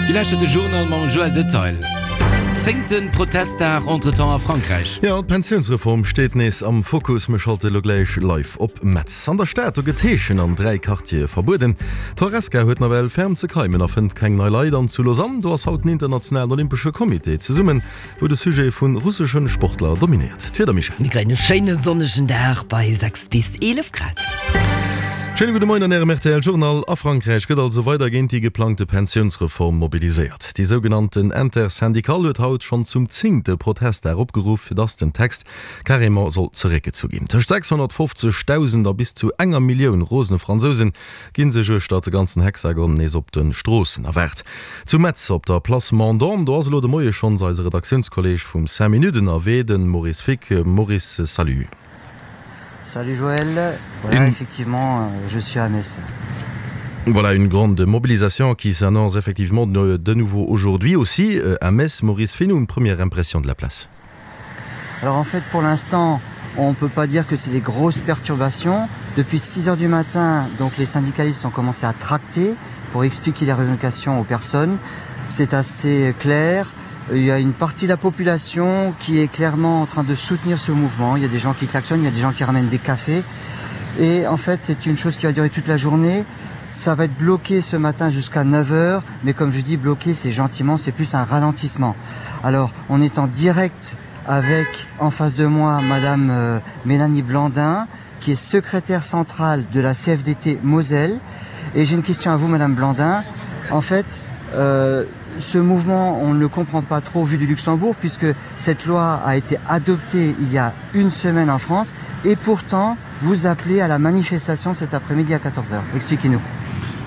Dir lauschtert de Journal mam Joël Detail. Zéngte Protestdag entretemps a Frankräich. Jo, d'Pensiounsreform steet nees am Fokus. Mir schalte lo gläich live op Metz. An der Stad, do gëtt Heeschen an 3 Quartiere verbueden. D'Horesca huet nawell ferm ze keimen a fënnt keng nei Leit. An zu Lausanne, do ass haut den internationalen Olympesche Comité zesummen. Wou de Sujet vun russeschen Sportler dominéiert. D'Wieder, Michèle? Mir kréien e schéine sonnegen Dag bei 6 bis 11 Grad. Schéine gudde Moien an Ärem rtl Journal. A Frankräich gëtt also weider géint déi geplangte Pensiounsreform mobiliséiert. Déi sougenannten Intersyndicale huet haut schonn zum zéngte Protestdag opgeruff, fir datt den Text carrément soll zeréckgezu ginn. Tëscht 650.000 a bis zu enger Millioun rosene Fransousen Ginn sech uechter de ganzen Hexagon nees op den Stroossen erwaart. Zu Metz op der Place Mandon, do ass elo de Moie schonns eise Redaktiounskolleg vum 5 Minutes ënnerwee, den Maurice Fick. Maurice, salut. Salut Joël, voilà effectivement je suis à Metz. Voilà une grande mobilisation qui s'annonce effectivement de nouveau aujourd'hui aussi à Metz. Maurice, fais-nous une première impression de la place. Alors en fait pour l'instant on ne peut pas dire que c'est des grosses perturbations. Depuis 6 heures du matin, donc les syndicalistes ont commencé à tracter pour expliquer les revendications aux personnes. C'est assez clair. Il y a une partie de la population qui est clairement en train de soutenir ce mouvement. Il y a des gens qui klaxonnent, il y a des gens qui ramènent des cafés. Et en fait, c'est une chose qui va durer toute la journée. Ça va être bloqué ce matin jusqu'à 9 heures, mais comme je dis, bloqué, c'est gentiment, c'est plus un ralentissement. Alors, on est en direct avec en face de moi Madame euh, Mélanie Blandin, qui est secrétaire centrale de la CFDT Moselle. Et j'ai une question à vous, Madame Blandin. En fait, euh, ce mouvement, on ne le comprend pas trop vu du Luxembourg, puisque cette loi a été adoptée il y a une semaine en France, et pourtant, vous appelez à la manifestation cet après-midi à 14h. Expliquez-nous.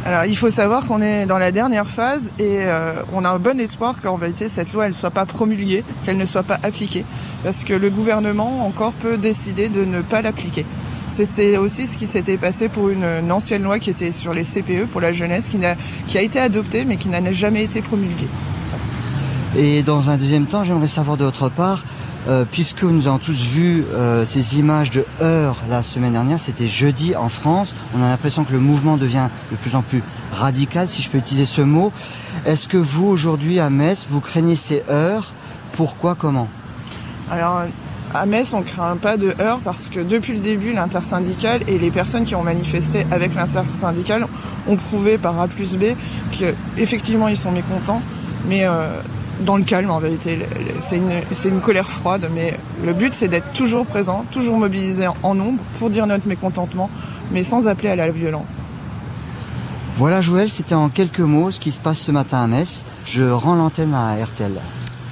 Alors il faut savoir qu'on est dans la dernière phase et euh, on a un bon espoir qu'en vérité cette loi elle soit pas promulguée, qu'elle ne soit pas appliquée parce que le gouvernement encore peut décider de ne pas l'appliquer. C'était aussi ce qui s'était passé pour une, une ancienne loi qui était sur les CPE pour la jeunesse qui a, qui a été adoptée mais qui n'a jamais été promulguée. Et dans un deuxième temps, j'aimerais savoir de votre part, euh, puisque nous avons tous vu euh, ces images de heures la semaine dernière, c'était jeudi en France, on a l'impression que le mouvement devient de plus en plus radical, si je peux utiliser ce mot. Est-ce que vous, aujourd'hui, à Metz, vous craignez ces heures Pourquoi Comment Alors, à Metz, on craint pas de heurts parce que depuis le début, l'intersyndicale et les personnes qui ont manifesté avec l'intersyndicale ont prouvé par A plus B qu'effectivement ils sont mécontents, mais euh, dans le calme en vérité. C'est une, une colère froide, mais le but c'est d'être toujours présent, toujours mobilisé en nombre pour dire notre mécontentement, mais sans appeler à la violence. Voilà Joël, c'était en quelques mots ce qui se passe ce matin à Metz. Je rends l'antenne à RTL.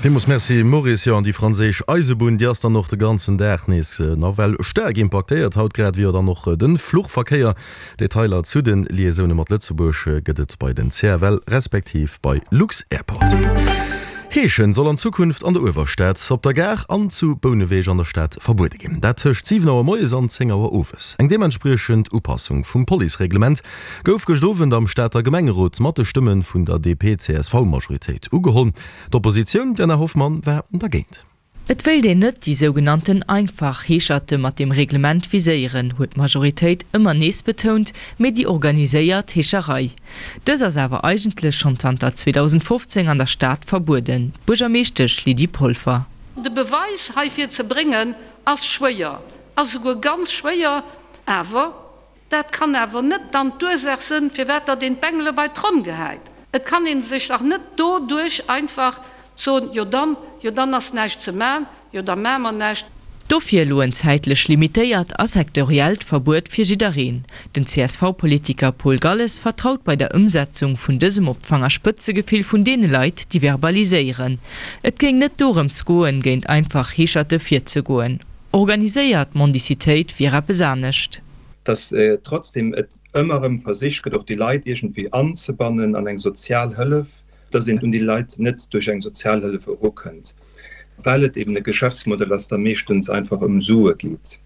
Villmools Merci Maurice. Jo, an déi franséisch Eisebunn, déi ass dann och de ganzen Dag nees nawell staark impaktéiert haut, grad ewéi jo dann och de Fluchverkéier. Detailer zu de Liaisoune mat Lëtzebuerg gëtt et bei den CFL respektiv bei lux-Airport. Heeschen soll an Zukunft an der Uewerstad, op der Gare an zu Bouneweg an der Stad verbuede ginn. Dat tëscht 7 Auer moies an 10 Auer owes. Eng deementspriechend Upassung vum Policereglement gouf gëscht Owend am Stater Gemengerot mat de Stëmme vun der DP-CSV-Majoritéit ugeholl. D'Oppositioun, Diana Hoffmann, war dergéint. Et wéilt een net déi sougenannten einfach Heescherte mat deem Reglement viséieren, huet d'Majoritéit ëmmer nees betount, mee déi organiséiert Heescherei. Dës ass awer eigentlech schonn zanter 2015 an der Stad verbueden. D'Buergermeeschtesch Lydie Polfer. De Beweis heifir ze bréngen ass schwéier, ass esouguer ganz schwéier, awer Dat kann awer net dann d'Ursaach sënn, firwat datt een d'Bengele bei d'Tromm gehäit. Et kann ee sech dach net doduerch einfach soen, jo dann, jo dann ass näischt ze man, jo da maa mer näischt. Dofir elo en zäitlech limitéiert a sektoriellt Verbuet fir jiddereen. Den CSV-Politiker Paul Galles vertraut bei der Ëmsetzung vun dësem op d'Fangerspëtzegefill vun deene Leit, déi verbaliséieren. Et géing net dorëms goen, géint einfach Heescherte virzegoen. Organiséiert Mendicitéit wier eppes anescht. Dass trotzdem et ëmmer erëm versicht gëtt, och déi Leit iergendwéi anzebannen an eng sozial Hëllef, dass een un déi Leit net duerch eng Sozialhëllef erukënnt, well et eben e Geschäftsmodell ass, da meeschtens einfach ëm Sue geet.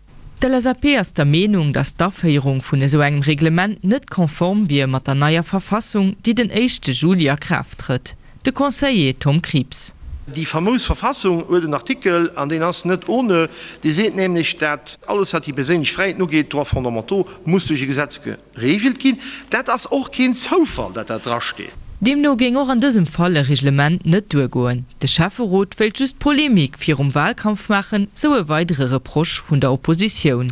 D'LSAP ass der Meenung, datt d'Aféierung vun esou engem Reglement net konform wier mat der neier Verfassung, déi den éischte Juli a Kraaft trëtt. De Conseiller Tom Krieps. Déi famous Verfassung huet en Artikel, an deen ass net ohne, dee seet nämlech, dat alles wat déi perséinlech Fräiheeten ugeet, Droits fondamentaux, muss duerch e Gesetz geregelt ginn. Dat ass och keen Zoufall, dat dat drasteet. Deemno géing och an dësem Fall e Reglement net duergoen. De Schäfferot wéilt just Polemik virum Wahlkampf maachen, sou e weidere Reproche vun der Oppositioun.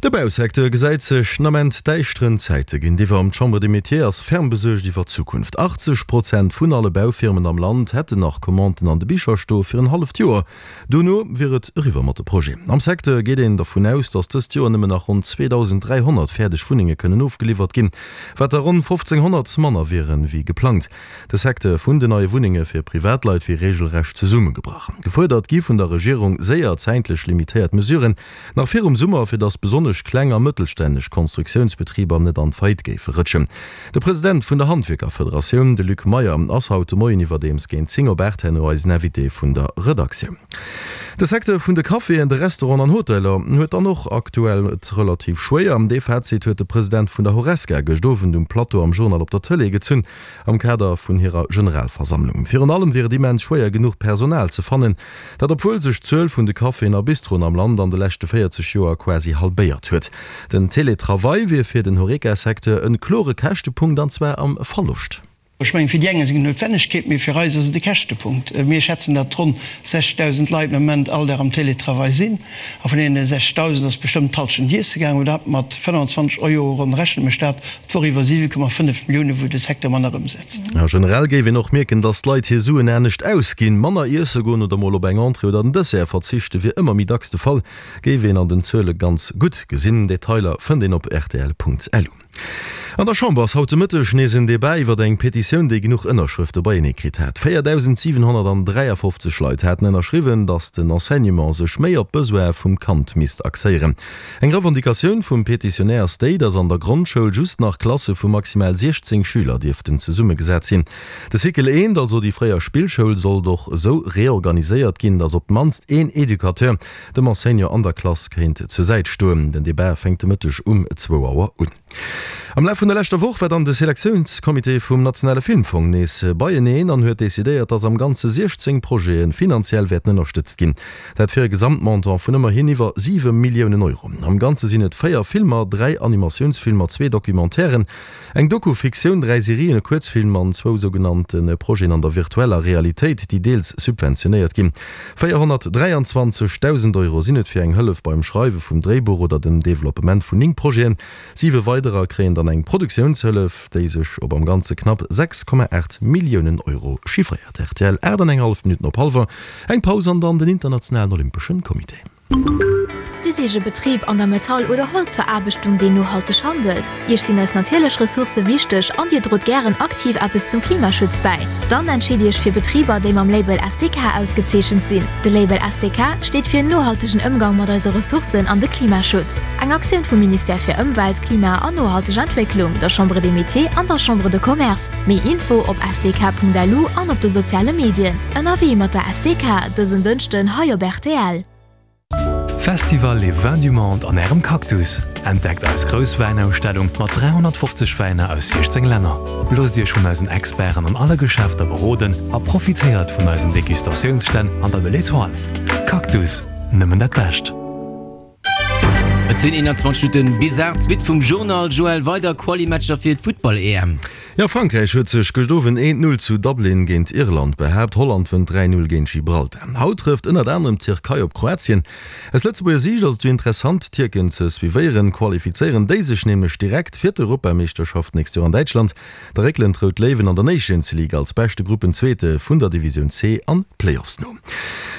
De Bausecteur gesäit sech den Ament däischteren Zäite géintiwwer. D'Chambre des Métiers ass ferm besuergt iwwer d'Zukunft. 80 Prozent vun alle Baufirmen am Land hätten nach Commanden an de Bicher stoe fir en halleft Joer. Dono wier et eriwwer mat de Projeten. Am Secteur geet een dervun aus, datt dëst Joer nëmmen nach ronn 2.300 fäerdeg Wunnenge kënnen ofgeliwwert ginn, wat der ronn 1.500 manner wieren, wéi geplangt. De Secteur vun den neie Wunnenge fir Privatleit wier reegelrecht zesummegebrach. Gefuerdert gi vun der Regierung séier zäitlech limitéiert Mesuren, nach virum Summer, fir datt besonnesch kleng a mëttelstänneg Konstruktiounsbetriber net an d'Faillite géife rëtschen. De President vun der Handwierkerfederatioun, de Luc Meyer, ass haut de Moien iwwerdeems géint 10 op 8 herno eisen Invité vun der Redaktioun. De Secteur vun de Caféen, de Restauranten an Hoteller huet dann och aktuell et relativ schwéier. Dee Fazit huet de President vun der Horesca gëscht Owend um Plateau am Journal op der Tëlee gezunn am Kader vun hirer Generalversammlung. Virun allem wier et immens schwéier genuch Personal ze fannen. Dat obwuel sech d'Zuel vun de Caféen a Bistroen am Land an de leschte 40 Joer quasi halbéiert huet. Den Teletravail wier fir den Horeca-Secteur en klore Käschtepunkt, an zwar am Verloscht. Ech mengen, fir déi eng ass et eng Noutwennegkeet, mee fir eis ass et e Käschtepunkt. Mir schätzen, datt ronn 60.000 Leit am Moment all Dag am Teletravail sinn. A vun deene 60.000 ass bestëmmt d'Hallschent iesse gaangen. Oder mat 25 Euro ronn rechne mech dat d'Woch iwwer 7,5 Millioune wou de Secteur manner ëmsetzt. A generell géif een och mierken, datt d'Leit hir Suen anescht ausginn. Manner iesse goen oder mol op eng Entrée oder en Dessert verzichte wier ëmmer méi dacks de Fall, géif een an den Zuele ganz gutt gesinn. Detailer fënnt een op rtl.lu. An der Chamber ass haut de Mëtteg nees en Debat iwwer eng Petitioun, déi genuch Ënnerschrëfte beienee kritt hat. 4.753 Leit haten ënnerschriwwen, datt den Enseignement sech méi op d'Besoine vum Kand misst axéieren. Eng Revendicatioun vum Petitionär ass déi, datt an der Grondschoul just nach Klasse vu maximal 16 Schüler dierften zesummegesat sinn. De Cycle eent, also déi fréier Spillschoul, sollt och esou reorganiséiert ginn, datt op d'mannst een Educateur dem Enseignant an der Klass kéint zur Säit stoen. Den Debat fänkt de Mëtteg um zwou Auer un. Am Laf vun der leschter Woch war dann de Selektiounscomité vum Nationale Filmfong nees beieneen an huet decidéiert, dass am Ganze 16 Projete finanziell wäerten ënnerstëtzt ginn. Dat fir e Gesamtmontant vun ëmmerhin iwwer 7 Milliounen Euro. Am Ganze sinn et 4 Filmer, 3 Animatiounsfilmer, zwee Documentairen, eng Doku-Fiktioun, 3 Serien, e Kuerzfilm an zwou sougenannte Projeten an der virtueller Realitéit, déi deels subventionéiert ginn. 423.000 Euro sinn et fir eng Hëllef beim Schreiwe vum Dréibuch oder dem Developpement vun 9 Projeten. Siwe weiderer kréien dann eng Produktiounshëllef, déi sech op am Ganze knapp 6,8 Milliounen Euro chiffréiert. Rtl, 8 an eng hallef Minutten op hallwer, eng Paus an dann den Internationalen Olympeschen Comité. Dir sicht e Betrib an der Metall oder Holzveraarbechtung, deen nohalteg handelt? Iech sinn eis natierlech Ressourcë wichteg an Dir drot gären aktiv eppes zum Klimaschutz bäi? Dann entscheet Iech fir Betriber, déi mam Label SDK ausgezeechent sinn. De Label SDK steet fir nohaltegen Ëmgang mat eise Ressourcen an de Klimaschutz. Eng Aktioun vum Ministère fir Ëmwelt, Klima an nohalteg Entwécklung, der Chambre des Métiers an der Chambre de Commerce. Méi Info op sdk.lu an op de soziale Medien. Ënnerwee mat der SDK, dësen Dënschden hei op rtl. Festival Les Vins du Monde an Ärem Cactus! Entdeckt eis grouss Wäinausstellung mat 350 Wäiner aus 16 Länner. Loosst Iech vun eisen Experten an alle Geschäfter beroden a profitéiert vun eisen Degustatiounsstänn an der Belle Etoile. Cactus, nëmmen dat Bescht! Et sinn 21 Minutten bis 8, d'Suite vum Journal. Joël, weider Quali-Matcher fir d'Futtball-EM. Jo, Frankräich huet sech gëscht Owend 1, 0 zu Dublin géint Irland behaapt. Holland wënnt 3, 0 géint Gibraltar. Haut trëfft ënnert anerem d'Tierkei op Kroatien. Aus Lëtzebuerger Siicht ass et jo interessant d'Tierken ze suivéieren. Qualifizéieren déi sech nämlech direkt fir d'Europameeschterschaft d'nächst Joer an Däitschland, da réckelen d'Rout Léiwen an der Nations League als beschte Gruppenzweete vun der Divisioun C an d'Playoffs no.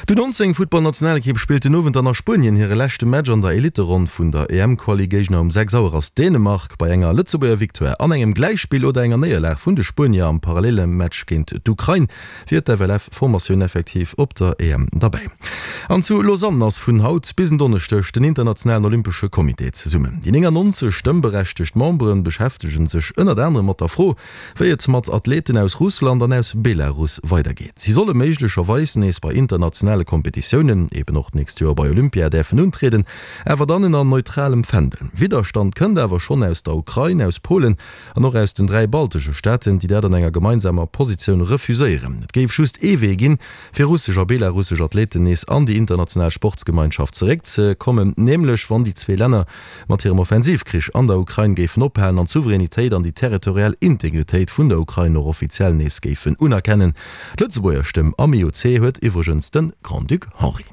D'U19 Futtballnationalekipp spillt den Owend dann a Spuenien hire leschte Match an der Elitteronn vun der EM-Quali. Géigner um 6 Auer ass Dänemark. Bei enger Lëtzebuerger Victoire an engem Gläichspill oder enger Néierlag vun de Spuenier am parallele Match géint d'Ukrain wier d'FLF-Formatioun effektiv op der EM derbäi. An zu Lausanne ass vun haut bis en Donneschdeg den Internationalen Olympesche Comité zesummen. Déi 99 stëmmberechtegt Membere beschäftege sech ënnert anerem mat der Fro, wéi et mat Athleten aus Russland an aus Belarus weidergeet. Si solle méiglecherweis nees bei internationale Kompetitiounen, eben och d'nächst Joer bei Olympia, däerfen untrieden, awer dann ënner. an neutralem Fändel. Widderstand kënnt awer schonn aus der Ukrain, aus Polen an och aus den 3 baltesche Staaten, déi dat an enger gemeinsamer Positioun refuséieren. Et géif just ee Wee ginn, fir russesch a belarussesch Athleten nees an déi international Sportsgemeinschaft zeréckzekommen, nämlech wann déi zwee Länner mat hirem Offensivkrich an der Ukrain géifen ophalen an d'Souveränitéit an déi territorial Integritéit vun der Ukrain och offiziell nees géifen unerkennen. D'Lëtzebuerger Stëmm am IOC huet iwwregens de Grand-Duc Henri.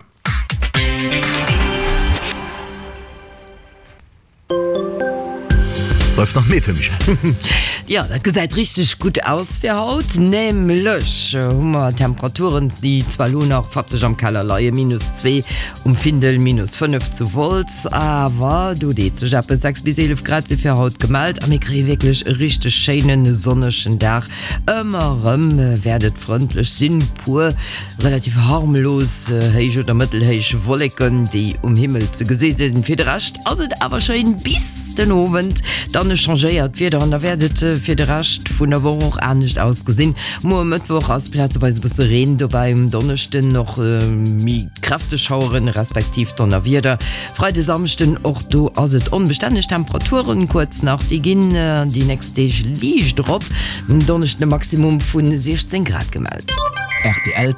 Bleift nach Meter, Michèle. Jo, dat gesäit richteg gutt aus fir haut. Nämlech hu mer Temperaturen, déi zwar elo nach fatzeg am Keller leien, minus 2 um Findel, minus 5 zu Wolz, awer do deet sech eppes, 6 bis 11 Grad si fir haut gemellt a mir kréie wierklech e richteg schéinen sonnegen Dag. Ëmmer erëm wäert et frëndlech sinn, puer relativ harmlos héich oder mëttelhéich Wolleken, déi um Himmel ze gesi sinn. Fir de Rescht ass et awer schéin bis den Owend, dann changéiert d'Wieder an da wäert et fir de Rescht vun der Woch och anescht ausgesinn. Muer Mëttwoch ass plazeweis e bësse Reen dobäi, um Donneschden och méi kräfteg Schaueren respektiv Donnerwieder. Freide, Samschden, och do ass et onbestänneg. Temperaturen kuerz nach, déi ginn déi nächst Deeg liicht erop, um Donneschden e Maximum vu 16 Grad gemellt. Rtl.